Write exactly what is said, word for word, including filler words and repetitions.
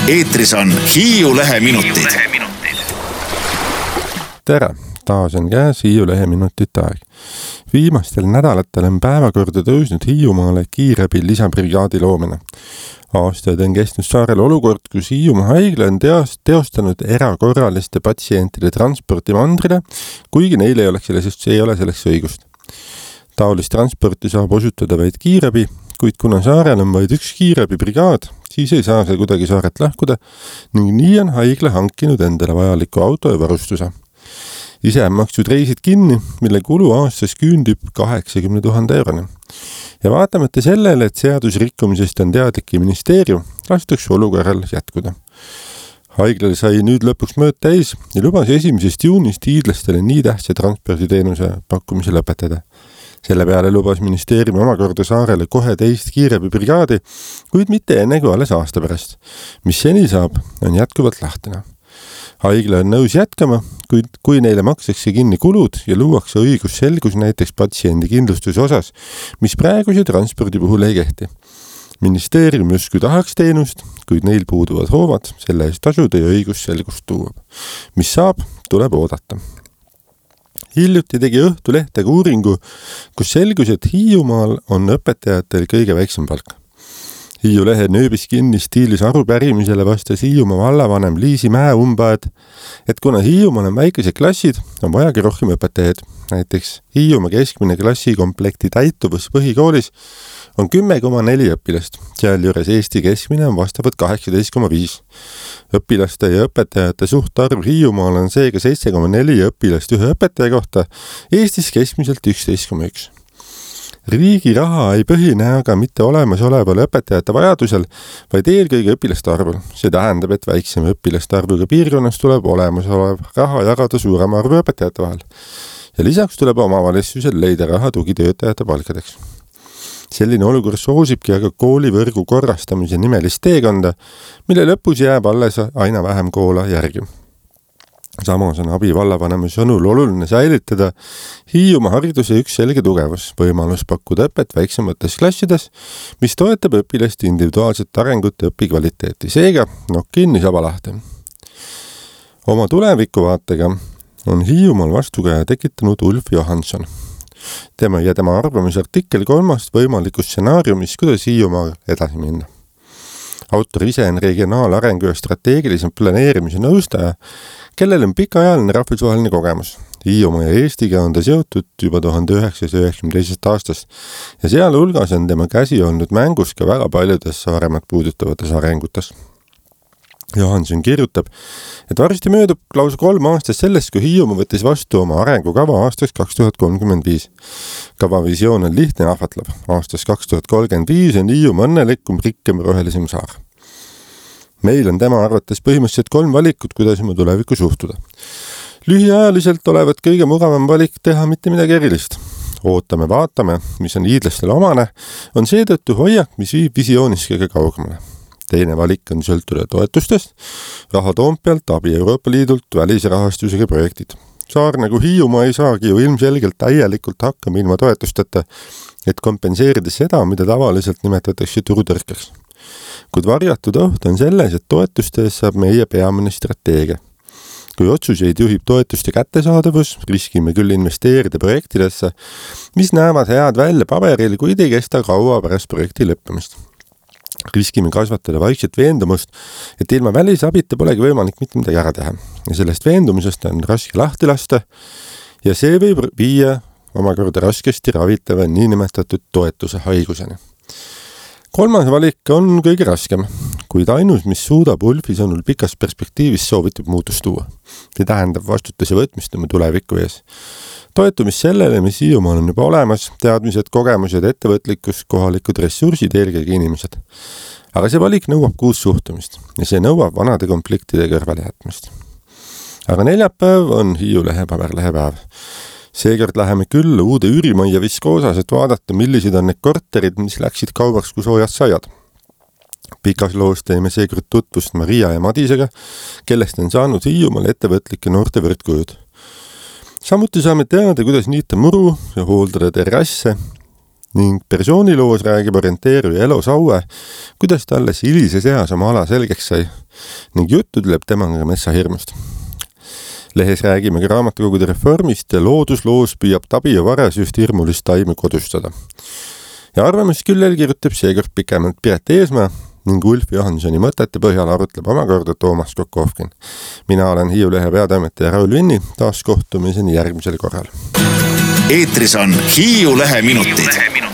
eetris on Hiiu Lehe minutid. Tere, taas on käes Hiiu Lehe minutite aeg. Viimastel nädalatel on päevakorda tõusnud Hiiumaale kiirabi lisabrigaadi loomine. Aastaid on kestnud saarel olukord, kus Hiiumaa haigla on teostanud erakorraliste patsientide transporti mandrile, kuigi neil ei, oleks sellest, ei ole selleks õigust. Taolist transporti saab osutada vaid kiirabi, kuid kuna saarel on vaid üks kiirabibrigaad, siis ei saa see kuidagi saaret lahkuda ning nii on haigla hankinud endale vajaliku auto ja varustuse. Ise on makstud reisid kinni, mille kulu aastas küündib kaheksakümmend tuhat euroni. Ja vaatamata sellele, et seadusrikkumisest on teadlik ministeerium, lastakse olukorral jätkuda. Haiglal sai nüüd lõpuks mööd täis ja lubas esimesest juunist hiidlastele nii tähtsa transporditeenuse pakkumise lõpetada. Selle peale lubas ministeerium omakorda saarele kohe teist kiirabibrigaadi, kuid mitte enne kui alles aasta pärast. Mis seni saab, on jätkuvalt lahtine. Haigla on nõus jätkama, kuid kui neile makstakse kinni kulud ja luuakse õigusselgus näiteks patsiendi kindlustuse osas, mis praeguse transpordi puhul ei kehti. Ministeerium justkui tahaks teenust, kuid neil puuduvad hoovad, selle eest tasuda ja õigusselgust tuua. Mis saab, tuleb oodata. Hiljuti tegi Õhtulehtega uuringu, kus selgus, et Hiiumaal on õpetajatel kõige väiksem palk. Hiiu Lehe nööbis kinni stiilis arupärimisele vastas Hiiumaa vallavanem Liisi Mäe-Umbaed, et kuna Hiiumaal on väikesed klassid, on vajagi rohkem õpetajaid. Näiteks Hiiumaa keskmine klassikomplekti täituvus põhikoolis on kümme koma neli õpilast, sealjuures Eesti keskmine on vastavalt kaheksateist koma viis. Õpilaste ja õpetajate suhtarv Hiiumaal on seega seitse koma neli õpilast ühe õpetaja kohta, Eestis keskmiselt üksteist koma üks. Riigi raha ei põhine aga mitte olemasoleval õpetajate vajadusel, vaid eelkõige õpilaste arvul. See tähendab, et väiksem õpilaste arvuga piirkonnas tuleb olemasolev raha jagada suurema arvu õpetajate vahel. Ja lisaks tuleb omavalitsusel leida raha tugitöötajate palkadeks. Selline olukord soosibki aga koolivõrgu korrastamise nimelist teekonda, mille lõpus jääb alles aina vähem koola järgi. Samas on abi vallavanema sõnul oluline säilitada Hiiumaa hariduse üks selge tugevus, võimalus pakkuda õpet väiksemates klassides, mis toetab õpilaste individuaalset arengut ja õpikvaliteeti. Seega, no kinni saba lahti. Oma tulevikuvaatega on Hiiumaal vastukäja tekitanud Ulf Johansson. Tema ja tema arvamusartikkel kolmast võimalikust stsenaariumist, kuidas Hiiumaal edasi minna. Autor ise on regionaalarengu ja strateegilise planeerimise nõustaja, kellel on pikaajaline rahvusvaheline kogemus. Hiiumaa ja Eestiga on ta seotud juba tuhande üheksasaja üheksakümne teisest aastast ja seal hulgas on tema käsi olnud mängus ka väga paljudes Saaremat puudutavates arengutes. Johansson kirjutab, et varsti möödub lausa kolm aastas sellest, kui Hiiumaa võttis vastu oma arengukava aastaks kaks tuhat kolmkümmend viis. Kava visioon on lihtne ja ahvatlev. Aastaks kaks tuhat kolmkümmend viis on Hiiumaa õnnelikum, rikkem, rohelisem saar. Meil on tema arvates põhimõtteliselt kolm valikut, kuidas oma tulevikku suhtuda. Lühiajaliselt olevat kõige mugavam valik teha mitte midagi erilist. Ootame, vaatame, mis on hiidlastele omane, on seetõttu hoiak, mis viib visioonis kõige kaugemale. Teine valik on sõltuda toetustest, raha Toompealt, abi Euroopa Liidult, välisrahastusega projektid. Saar nagu Hiiumaa ei saagi ju ilmselgelt täielikult hakkama ilma toetusteta, et kompenseerida seda, mida tavaliselt nimetatakse turutõrkeks. Kuid varjatud oht on selles, et toetustes saab meie peamine strateegia. Kui otsuseid juhib toetuste kättesaadavus, riskime küll investeerida projektidesse, mis näevad head välja paberil, kuid ei kesta kaua pärast projekti lõppemist. Riskime kasvatada vaikselt veendumust, et ilma välisabita polegi võimalik mitte midagi ära teha. Ja sellest veendumusest on raske lahti lasta ja see võib viia omakorda raskesti ravitava niinimetatud toetuse haiguseni. Kolmas valik on kõige raskem, kuid ainus, mis suudab Ulfi sõnul pikas perspektiivis soovitab muutust tuua. See tähendab vastutuse võtmist oma tuleviku ees. Toetumis sellele, mis Hiiumaal on juba olemas, teadmised, kogemused, ettevõtlikkus, kohalikud ressursid, eelkõige inimesed. Aga see valik nõuab kuus suhtumist ja see nõuab vanade konfliktide kõrvale jätmist. Aga neljapäev on Hiiu Lehe paberlehe päev. Seekord läheme küll uude üürimajja Viskoosas, et vaadata, millised on need korterid, mis läksid kaubaks kui soojad saiad. Pikas loos teeme seekord tutvust Maria ja Madisega, kellest on saanud Hiiumaal ettevõtlike noorte võrdkujud. Samuti saame teada, kuidas niita muru ja hooldada terrasse ning persooniloos räägib orienteeruja Elo Saue, kuidas ta alles hilises eas oma ala selgeks sai ning juttu tuleb temaga metsahirmust. Lehes räägime ka raamatukogude reformist ja loodusloos püüab Tabi ja Vares just hirmulist taimu kodustada. Ja arvamist küllel kirjutab seekord pikemalt Piret Eesmaa ning Ulf Johansoni mõtete põhjal arutleb omakorda Toomas Kokovkin. Mina olen Hiiu Lehe peatoimetaja Raul Vinni, taas kohtumiseni järgmisel korral. Eetris on Hiiu Lehe minutid.